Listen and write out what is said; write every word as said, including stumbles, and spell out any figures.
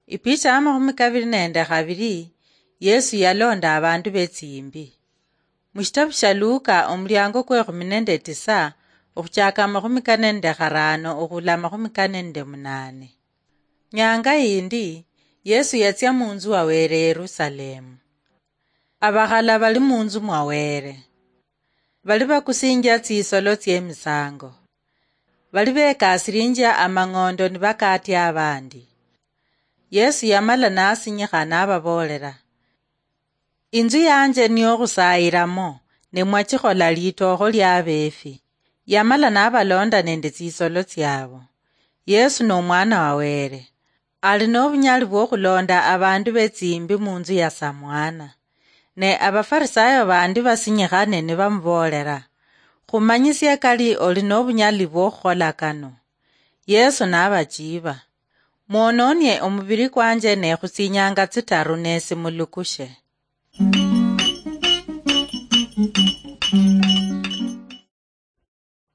Ipicha ya makhumi kabiri nende khabiri, Yesu yalonda abandu betsimbi. Mushitabu sha Luka, omuliango kwe khumi nende tisa, okhuchaka amakhumi kane nende kharano okhula amakhumi kane nende munane. Nyanga yindi, Yesu yatsia munzu wa Were Yerusalemu. Abakhala bali munzu mwa Were. Bali bakusinjia tsisolo tsiemisango. Bali bekasirinjia amang'ondo nibakatia abandi. Yesu yamala nasinyikha nababoolera, "Inzu yanje niyo khusayiramo, ne mwachikhola litookho liabefi." Yamala nabalonda nende tsisolo tsiabo. Yesu nomwana wa Were. Ali nobunyali bwokhulonda abandu betsimbi munzu ya samwana. Ne Abafarisayo bandi basinyikhane nibamuboolera, "Khumanyisie kali oli nobunyali bwokhukhola kano." Yesu nabachiba, "Mwononie omubiri kwanje ne khutsinyanga tsitaru nesimulukushe."